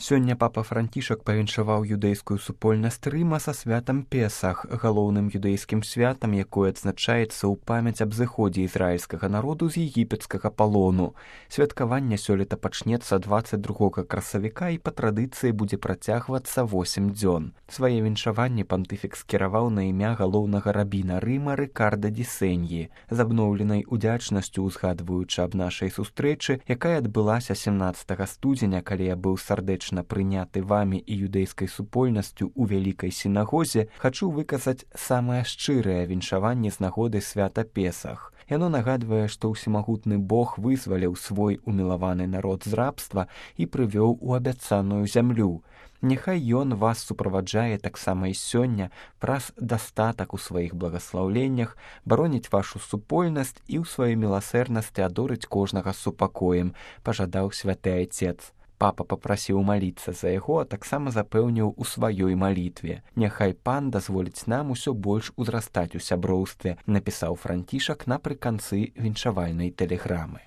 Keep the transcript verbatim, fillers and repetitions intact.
Сёння папа Францішак павіншаваў юдэйскую супольнасць Рыма са святам Песах, галоўным юдэйскім святам, якое адзначаецца ў памяць аб зыходзе ізраільскага народу з егіпецкага палону. Святкаванне сёлета пачнецца дваццаць другога красавіка і па традыцыі будзе працягвацца восем дзён. Свае віншаванні пантыфік скіраваў на імя галоўнага рабіна Рыма Рыкарда ді Сеньі, з абноўленай удзячнасцю узгадваючы аб нашай сустрэчы, якая адбылася сямнаццатага студзеня, калі я быў сардэчны прыняты вамі і юдэйскай супольнасцю ў вялікай сінагозе, хачу выказаць самае шчырае віншаванне з нагоды свята Песах. Яно нагадвае, што ўсемагутны Бог вызваліў свой умілаваны народ з рабства і прывёў у абяцаную зямлю. Няхай ён вас суправаджае таксама і сёння праз дастатак у сваіх благаслаўленнях, бароніць вашу супольнасць і ў сваёй міласэрнасці адорыць кожнага з супакоем, пажадаў святы айцец. Папа папрасіў маліцца за яго, а таксама запэўніў у сваёй малітве. Няхай пан дазволіць нам усё больш узрастаць у сяброўстве, напісаў Францішак напрыканцы віншавальнай тэлеграмы.